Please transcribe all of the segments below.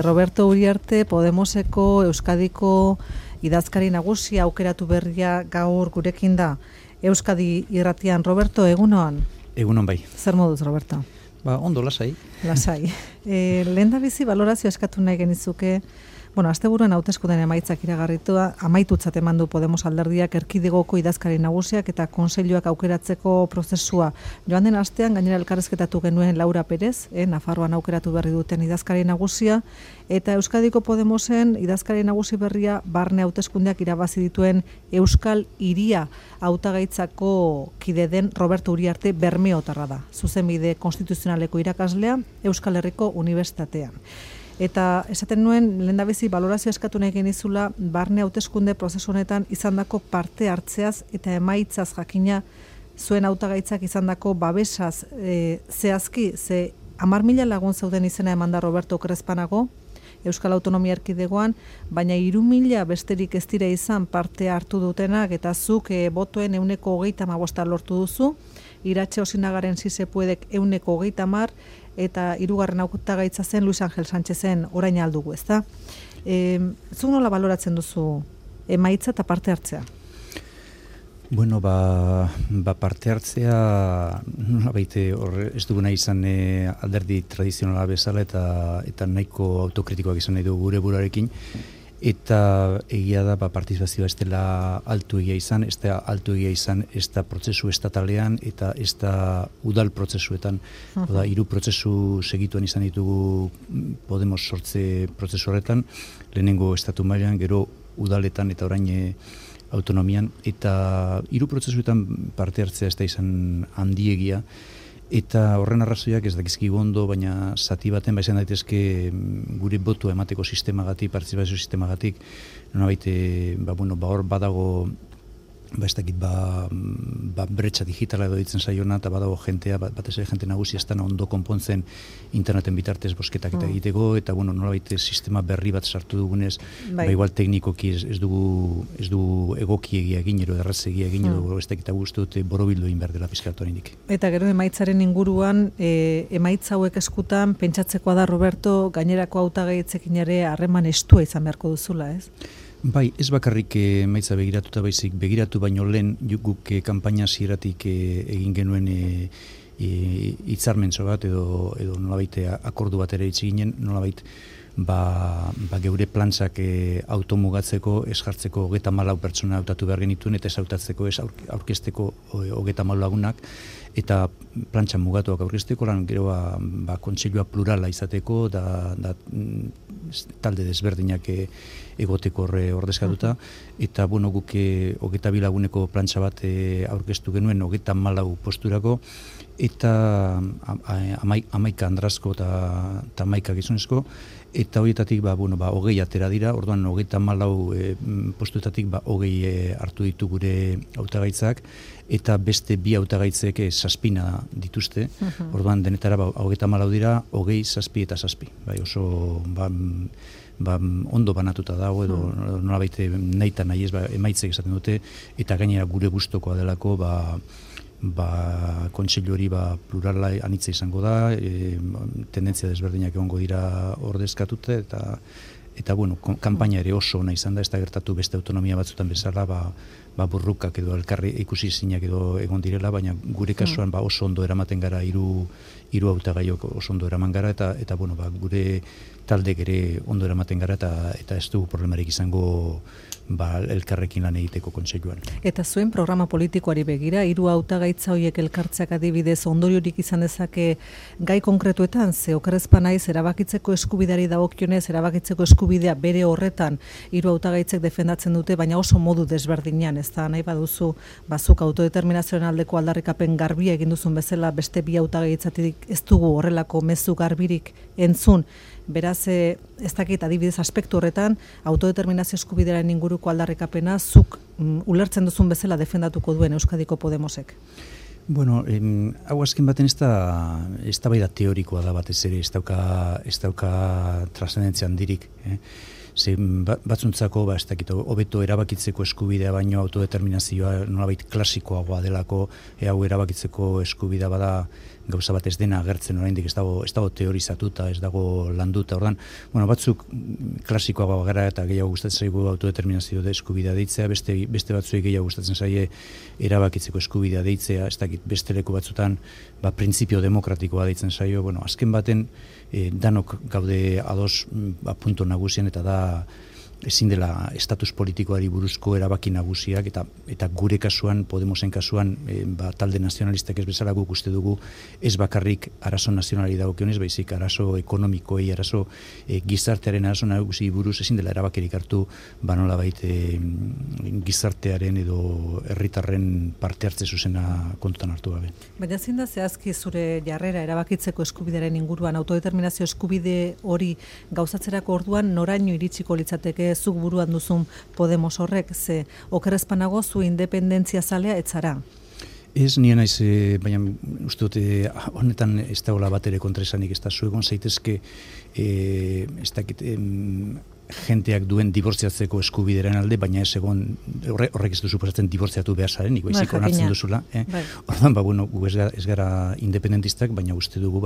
Roberto Uriarte, Podemoseko Euskadiko idazkari nagusia aukeratu berria gaur gurekin da. Euskadi irratian, Roberto, egunon? Egunon bai. Zer moduz, Roberto? Ondo, lasai. Lasai. Lehendabizi balorazio eskatu nahi genizuke, asteburuan hauteskundeen emaitzak iragarritua, amaitutzat eman du Podemos alderdiak erkidegoko idazkari nagusiak eta kontseiluak aukeratzeko prozesua. Joan den astean gainera elkarrizketatu genuen Laura Perez, Nafarroan aukeratu berri duten idazkari nagusia, eta Euskadiko Podemosen idazkari nagusi berria barne hauteskundeak irabazi dituen Euskal Hiria hautagaitzako kide den Roberto Uriarte Bermeotarra da. Zuzenbide konstituzionaleko irakaslea Euskal Herriko Unibertsitatean. Eta esaten nuen, lehendabizi balorazio eskatu nahi genizula, barne hauteskunde prozesu honetan izandako parte hartzeaz eta emaitzaz jakina zuen hautagaitzak izandako babesaz zehazki, ze 10.000 lagun zeuden izena eman da Roberto Crespanago, Euskal Autonomia Erkidegoan, baina 3.000 besterik ez dira izan parte hartu dutenak, eta zuk botoen 135 lortu duzu, Iratxe Osinagaren Sisepuedek 130, eta hirugarren hautagaitza zen Luis Angel Sánchezen orain aldugu, ezta? Zuk nola baloratzen duzu emaitza eta parte hartzea? Bueno, parte hartzea baite ez duguna izan alderdi tradizionala bezala eta nahiko autokritikoak izan nahi dugu gure buruarekin. Eta egia da partizipazioa ez dela altu egia izan, ez da altu egia izan ez da prozesu estatalean eta ez da udal prozesuetan. Oda, 3 prozesu segituan izan ditugu Podemos sortze prozesu horretan, lehenengo estatu mailan, gero udaletan eta orain autonomian, eta 3 prozesuetan parte hartzea ez da izan handiegia. Eta horren arrazoiak ez dakizkigu ondo, baina zati baten izan daitezke gure botua emateko sistemagatik, partizipazio sistemagatik, nolabait hor badago ez dakit bretxa digitala edo ditzen zaiona, eta badago jentea, batez ere jente nagusia ez da ondo konpontzen interneten bitartez bosketak eta egiteko, eta nolabait sistema berri bat sartu dugunez, igual teknikoki ez dugu egokiegia egin, edo errazegia egin, edo ez dakita guztu dute borobildu egin behar dela pizkatuarenik. Eta gero emaitzaren inguruan, emaitza hauek eskutan, pentsatzekoa da, Roberto, gainerako hautagaitzekin ere harreman estua izan beharko duzula, ez? Bai, ez bakarrik emaitza begiratuta baizik, begiratu baino lehen guk kanpaina hasieratik egin genuen hitzarmentxo bat edo nolabait akordu bat ere hitz ginen, nolabait geure plantzak automugatzeko, ez jartzeko 34 pertsona hautatu behar genituen, eta ez hautatzeko, ez aurkezteko 34 lagunak, eta plantxa mugatuak aurkezteko, gero kontseilua plurala izateko, da talde desberdinak egoteko ordezkatuta, eta guk 22 laguneko plantxa bat aurkeztu genuen 34 posturako, eta 11 andrazko eta 11 gizonezko, eta horietatik 20 atera dira, orduan 34 postuetatik 20 hartu ditu gure hautagaitzak, eta beste 2 hautagaitzek 7 dituzte, orduan denetara 34 dira, 20, 7 eta 7. Oso ondo banatuta dago, edo nolabait nahi eta nahi ez emaitzek esaten dute, eta gainera gure gustokoa delako, kontseilu hori plurala anitza izango da, tendentzia desberdinak egongo dira ordezkatute, eta kanpaina ere oso ona izan da, ez da gertatu beste autonomia batzutan bezala, burrukak edo elkarri ikusi zinak edo egon direla, baina gure kasuan oso ondo eramaten gara, 3 hautagaiok oso ondo eraman gara, eta gure taldek ere ondo eramaten gara, eta ez dugu problemarik izango elkarrekin lan egiteko kontseiluan. Eta zuen programa politikoari begira, 3 hautagaitza horiek elkartzeak adibidez ondoriorik izan dezake gai konkretuetan, ze okerrezpa naiz erabakitzeko eskubideari dagokionez, erabakitzeko eskubidea bere horretan 3 hautagaitzek defendatzen dute, baina oso modu desberdinean, ez da nahi baduzu bazuk autodeterminazioaren aldeko aldarrikapen garbia egin duzun bezala, beste 2 hautagaitzatik ez dugu horrelako mezu garbirik entzun. Beraz, ez dakit adibidez aspektu horretan, autodeterminazio eskubidearen inguruko aldarrikapena zuk ulertzen duzun bezala defendatuko duen Euskadiko Podemosek? Hau azken baten ez da teorikoa da batez ere, ez dauka trascendentzia handirik. ze batzuntzako, ez dakit, hobeto erabakitzeko eskubidea baino autodeterminazioa nolabait klasikoagoa delako, hau erabakitzeko eskubidea bada gauza bat ez dena agertzen oraindik ez dago teorizatuta, ez dago landuta, ordan, batzuk klasikoagoa gara eta gehiago gustatzen zaigu autodeterminazio eskubidea deitzea, beste batzuei gehiago gustatzen zaie erabakitzeko eskubidea deitzea, ez dakit, beste leku batzutan printzipio demokratikoa deitzen zaio, azken baten danok gaude ados punto nagusien eta da ezin dela estatus politikoari buruzko erabaki nagusiak eta gure kasuan, Podemosen kasuan, talde nazionalistak ez bezala guk uste dugu ez bakarrik arazo nazionali dagokionez, baizik arazo ekonomikoei, arazo gizartearen arazo nagusi buruz ezin dela erabakirik hartu nolabait gizartearen edo herritarren parte hartze zuzena kontutan hartu gabe. Baina zein da zehazki zure jarrera erabakitzeko eskubidearen inguruan, autodeterminazio eskubide hori gauzatzerako orduan noraino iritsiko litzateke zuk buruan duzun Podemos horrek, ze okerrezpanago zu independentzia zalea etzara? Ez nien naiz, baina uste dute honetan ez dagoela bat ere kontraesanik, ez da zuegon zaitezke ez dakit jenteak duen dibortziatzeko eskubideren alde, baina ez egon horrek ez du suposatzen dibortziatu behar zarenik, baizik onartzen duzula. Orduan, gu ez gara independentistak, baina uste dugu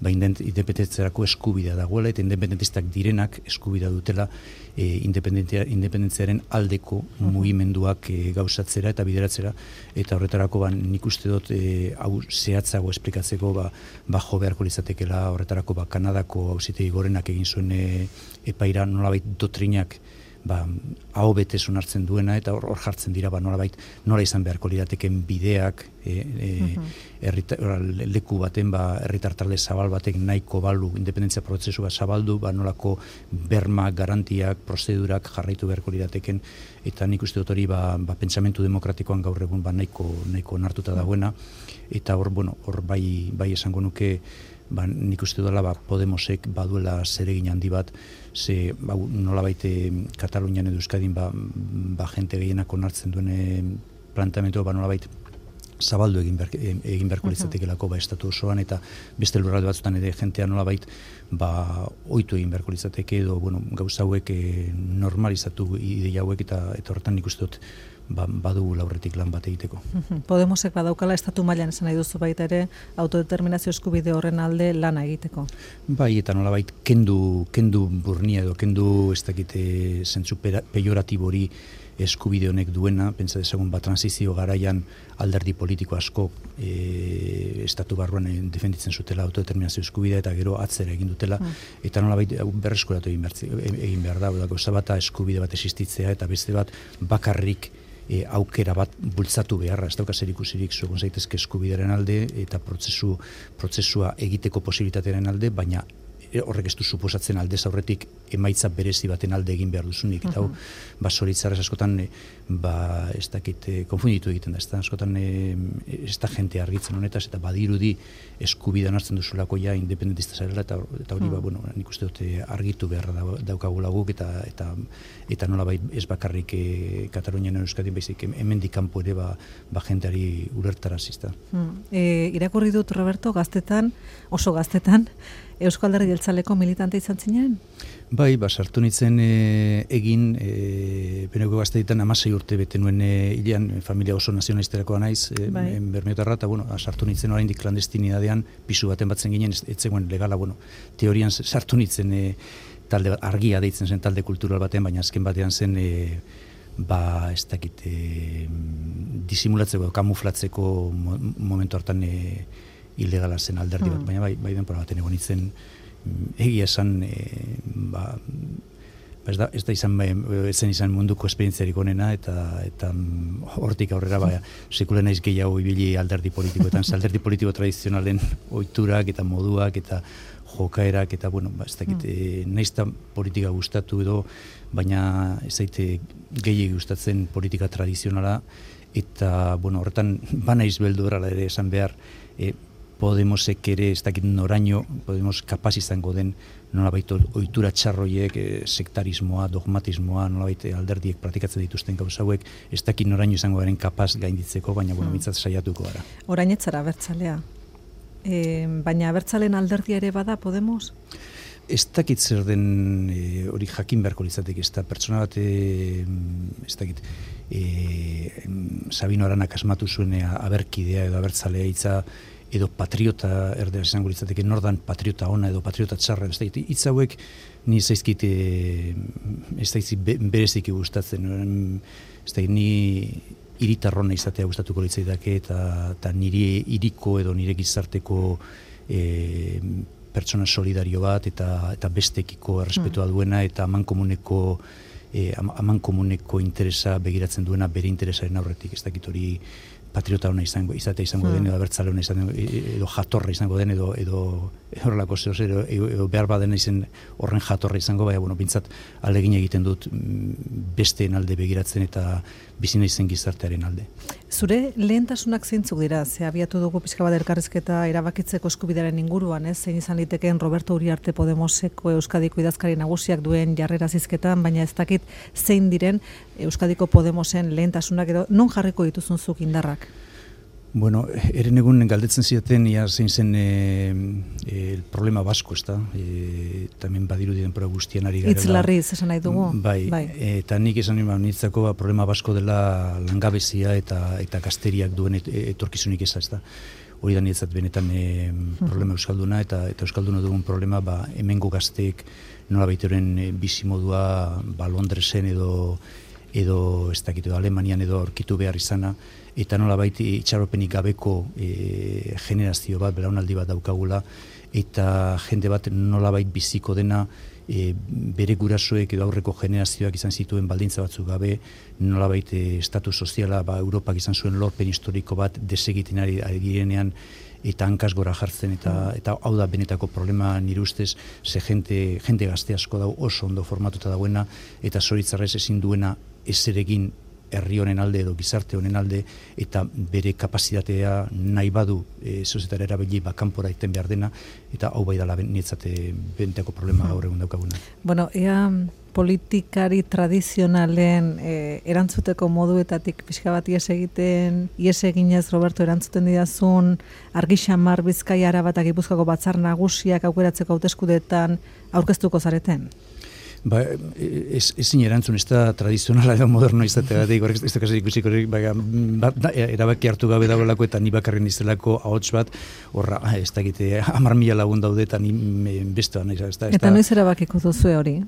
independentzerako eskubidea dagoela, eta independentistak direnak eskubidea dutela independentziaren aldeko mugimenduak gauzatzera eta bideratzera, eta horretarako nik uste dut hau zehatzago esplikatzeko jo beharko litzatekeela horretarako Kanadako auzitegi gorenak egin zuen epaira nolabait dotrinak aho betez onartzen duena eta hor jartzen dira nolabait nola izan beharko lirateken bideak leku baten herritar talde zabal batek nahiko balu independentzia prozesua zabaldu nolako berma, garantiak, prozedurak jarraitu beharko lirateken eta nik uste dut hori pentsamentu demokratikoan gaur egun nahiko onartuta dagoena eta hor bai esango nuke nik uste dela Podemosek baduela zeregin handi bat, ze nolabait Katalunian edo Euskadin jente gehienak onartzen duen planteamendu nolabait zabaldu egin beharko litzatekelako estatu osoan eta beste lurralde batzutan ere jentea nolabait ohitu egin beharko litzateke edo gauza hauek normalizatu ideia hauek eta horretan nik uste dut badugu laurretik lan bat egiteko. Podemosek badaukala estatu mailan esan nahi duzu baita ere autodeterminazio eskubide horren alde lana egiteko. Bai, eta nolabait kendu burnia edo kendu ez dakite zentzu pejoratibori eskubide honek duena, pentsa dezagun transizio garaian alderdi politiko asko estatu barruan defenditzen zutela autodeterminazio eskubidea eta gero atzera egin dutela eta nolabait berreskuratu egin behar da, gauza bata eskubide bat existitzea eta beste bat bakarrik aukera bat bultzatu beharra, ez dauka zer ikusirik zuegon zaitezke eskubidearen alde eta prozesua egiteko posibilitatearen alde, baina horrek ez du suposatzen aldez aurretik emaitza berezi baten alde egin behar duzunik eta hau zoritzarrez askotan ez dakit konfunditu egiten da, askotan ez da jente argitzen honetaz eta badirudi eskubida hartzen duzulako independentista zarela eta hori nik uste dute argitu beharra daukagula guk eta nolabait ez bakarrik Katalunian Euskadin baizik hemendik kanpo ere jenteari ulertarazizta. Irakurri dut Roberto oso gaztetan Eusko Alderdi Jeltzaleko militante izan zinen? Bai, sartu nintzen egin, peneko gazteetan 16 urte bete nuen hilean, familia oso nazionalisterakoa naiz, Bermeotarra, eta sartu nintzen oraindik klandestinidadean, pisu baten batzen ginen, ez zegoen legala, teorian sartu nintzen talde argia deitzen zen talde kultural batean, baina azken batean zen ez dakit disimulatzeko, kamuflatzeko momentu hartan ilegala zen alderdi bat, baina bai denpora baten egon nintzen egia esan ez zen izan munduko esperientziarik onena eta hortik aurrera sekule naiz gehiago ibili alderdi politikoetan, alderdi politiko tradizionalen ohiturak eta moduak eta jokaerak eta ez dakit naiz da politika gustatu edo, baina ez zaite gehiegi gustatzen politika tradizionala eta horretan banaiz beldurra ere esan behar Podemosek ere ez dakit noraino Podemos kapaz izango den nolabait ohitura txarroiek, sektarismoa, dogmatismoa, nolabait alderdiek praktikatzen dituzten gauza hauek, ez dakit noraino izango garen kapaz gainditzeko, baina mintzat saiatuko gara. Orain etzara abertzalea. Baina abertzalen alderdia ere bada Podemos? Ez dakit zer den hori jakin beharko litzateke, ez da pertsona bat, ez dakit, Sabino Aranak asmatu zuen aberkidea edo abertzalea hitza, edo patriota erdera izango litzateke, nordan patriota ona edo patriota txarra, ez dakit, hitz hauek ni zaizkit bereziki gustatzen, ez dakit, ni hiritarrona izatea gustatuko litzaidake eta nire hiriko edo nire gizarteko pertsona solidario bat eta bestekiko errespetua duena eta amankomuneko interesa begiratzen duena bere interesaren aurretik, ez dakit hori patriota ona izango den, edo abertzale ona izango edo jatorra izango den, edo horrelako zeo, edo behar baden izen horren jatorra izango, baina, bintzat alegin egiten dut besteen alde begiratzen eta bizi naizen gizartearen alde. Zure lehentasunak zeintzuk dira? Ze abiatu dugu pixka bat elkarrizketa erabakitzeko eskubidearen inguruan, zein izan litekeen Roberto Uriarte Podemoseko Euskadiko idazkari nagusiak duen jarrera zizketan, baina ez dakit zein diren Euskadiko Podemosen lehentasunak edo non jarriko dituzun zuk indarrak? Bueno, eren egun galdetzen zidaten ia zein zen el problema basko, ez da? Tamen badirudi denpora guztian ari garela. Itzlarriz esan nahi dugu? Bai. Eta nik esan niretzako problema basko dela langabezia eta gazteriak duen etorkizunik eza, ez da? Hori da niretzat benetan problema euskalduna eta euskalduna dugun problema hemengo gazteek nola baiteoren bizimodua Londresen edo ez dakit, Alemanian edo aurkitu behar izana, eta nolabait itxaropenik gabeko generazio bat, belaunaldi bat daukagula, eta jende bat nolabait biziko dena bere gurasoek edo aurreko generazioak izan zituen baldintza batzuk gabe, nolabait estatu soziala Europak izan zuen lorpen historiko bat desegiten ari girenean eta hankaz gora jartzen, eta hau da benetako problema nire ustez, ze jende gazte asko dau oso ondo formatuta dauena, eta zoritzarrez ezin duena ezeregin herri honen alde edo gizarte honen alde, eta bere kapazitatea nahi badu sozietara erabili kanpora iten behar dena, eta hau bai dala nietzate benetako problema gaur egun daukaguna. Bueno, ea politikari tradizionalen erantzuteko moduetatik pixka bat ies eginez, Roberto, erantzuten didazun Argi Xamar Bizkaia Araba eta Gipuzkoako batzar nagusiak aukeratzeko hauteskundeetan aurkeztuko zareten? Ezin erantzun, ez da tradizionala edo moderno izateagatik, ez da kasi ikusiko, erabaki hartu gabe dagoelako eta ni bakarren iztelako ahots bat, horra, ez da egite, 10.000 lagun daude eta ni bestean. Eta noiz erabakiko duzu hori?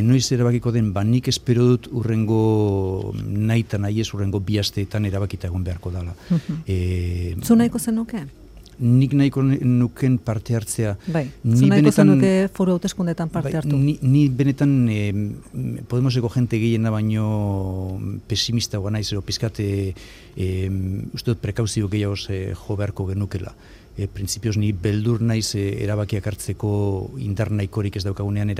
Noiz erabakiko den, nik espero dut urrengo nahi eta nahi ez urrengo 2 asteetan erabakita egon beharko dela. Zu nahiko zenuke? Nik nahiko nuken parte hartzea. Bai, zu nahiko zenuke foru hauteskundetan parte hartu. Ni benetan Podemoseko jente gehiena baino pesimista goa naiz, pizkate uste dut prekauzio gehiago jo beharko genukela. Printzipioz ni beldur naiz erabakiak hartzeko indar nahikorik ez daukagunean,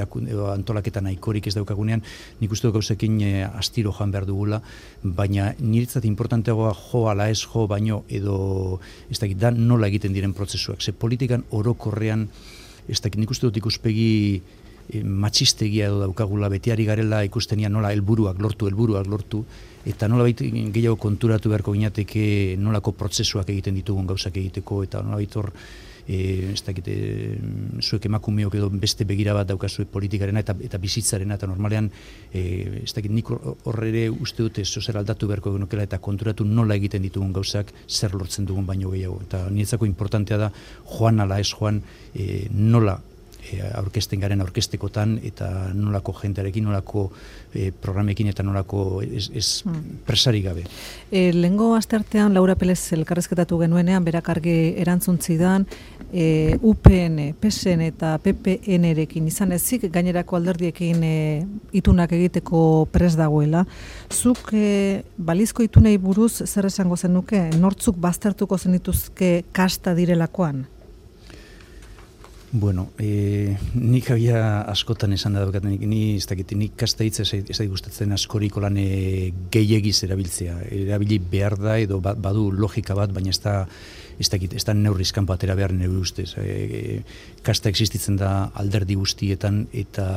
antolaketa nahikorik ez daukagunean, nik uste dut gauzekin astiro joan behar dugula, baina niretzat importanteagoa jo ala ez jo baino edo ez dakit da nola egiten diren prozesuak. Ze politikan orokorrean, ez dakit nik uste dut ikuspegi matxistegia edo daukagula, betiari garela ikustenia nola helburuak lortu, eta nola gehiago konturatu beharko ginateke nolako prozesuak egiten ditugun gauzak egiteko, eta nola hor, ez dakit, zuek emakumeok edo beste begira bat daukazue politikarena eta bizitzarena, eta normalean, ez dakit, nik horre uste dute zozer aldatu beharko genukela eta konturatu nola egiten ditugun gauzak zer lortzen dugun baino gehiago. Eta niretzako importantea da, joan ala ez joan, nola aurkezten garen aurkeztekotan eta nolako jentearekin, nolako programekin eta nolako presari gabe. Lehengo asteartean Laura Pelez elkarrezketatu genuenean, berak argi erantzun zidan, UPN, PSN eta PPN-erekin izan ezik, gainerako alderdiekin itunak egiteko pres dagoela. Zuk balizko itunei buruz zer esango zenuke? Nortzuk baztertuko zenituzke kasta direlakoan? Bueno, nik habia askotan esan da daukat, nik kasta hitz ez gustatzen askoriko lan gehiagiz erabiltzea. Erabili behar da edo badu logika bat, baina ez da neurrizkan batera behar neure ustez. Kasta existitzen da alderdi guztietan eta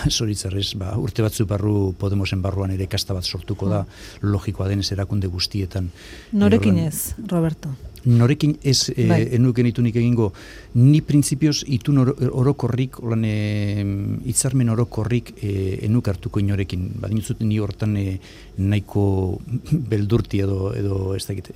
zoritzarrez, urte batzu barru Podemosen barruan ere kasta bat sortuko da, logikoa denez erakunde guztietan. Norekin ez, Roberto? Norekin ez enuken itunik egingo, ni printzipioz itun orokorrik, hitzarmen orokorrik enuk hartuko inorekin. Badintzut ni hortan nahiko beldurti edo ez dakit.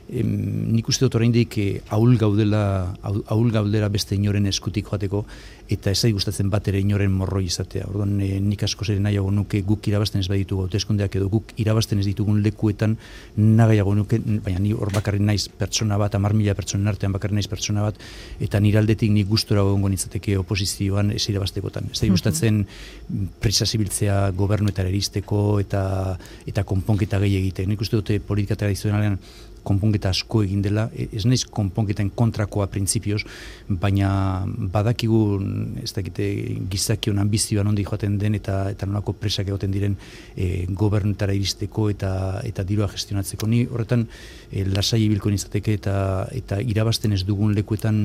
Nik uste dut oraindik ahul gaudela beste inoren eskutik joateko, eta ez gustatzen bat ere inoren morroi izatea. Orduan nik askoz ere nahiago nuke guk irabazten ez baditugu hauteskundeak edo guk irabazten ez ditugun lekuetan nahiago nuke, baina ni hor bakarrik naiz pertsona bat, 10.000 pertsonen artean bakarrik naiz pertsona bat, eta nire aldetik nik gustora egongo nintzateke oposizioan ez irabaztekotan. Ez gustatzen prisa zibiltzea gobernuetara iristeko eta konponketa gehi egiten. Nik uste dute politika tradizionalean konponketa asko egin dela, ez naiz konponketen kontrakoa printzipioz, baina badakigu ez dakite gizakion ambizioan ondi joaten den eta nolako presak egoten diren gobernutara iristeko eta dirua gestionatzeko. Ni horretan lasai ibilko nintzateke eta irabazten ez dugun lekuetan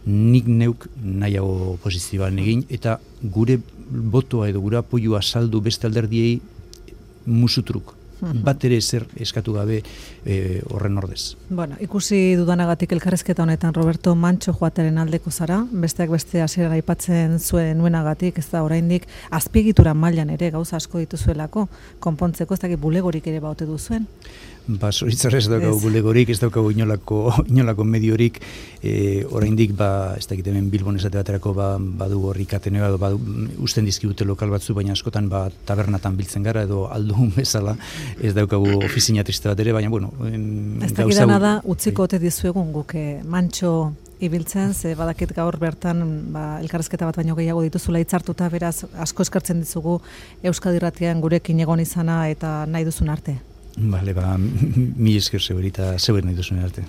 nik neuk nahiago posizioan egin, eta gure botoa edo gure apoioa saldu beste alderdiei musutruk. Bat ere zer eskatu gabe horren ordez. Bueno, ikusi dudanagatik elkarrezketa honetan Roberto Mantxo joateren aldeko zara, besteak beste hasieran aipatzen zuen nuenagatik, ez da oraindik azpiegitura mailan ere gauza asko dituzuelako, konpontzeko ez dakit bulegorik ere baute duzuen. Zoritzarrez ez daukagu bulegorik, ez daukagu inolako mediorik, oraindik ez dakit hemen Bilbon esate baterako badu horrik atenea, usten dizkibute lokal batzu, baina askotan tabernatan biltzen gara edo aldun bezala, ez daukagu ofizina triste bat ere, baina bueno, ez dakidana da utziko ote dizuegun guk Mantxo ibiltzen, ze badakit gaur bertan elkarrezketa bat baino gehiago dituzula hitzartuta, beraz asko eskartzen dizugu Euskadi Irratian gurekin egon izana eta nahi duzun arte. Bale, mi esker zeur eta zeur nahi duzun arte.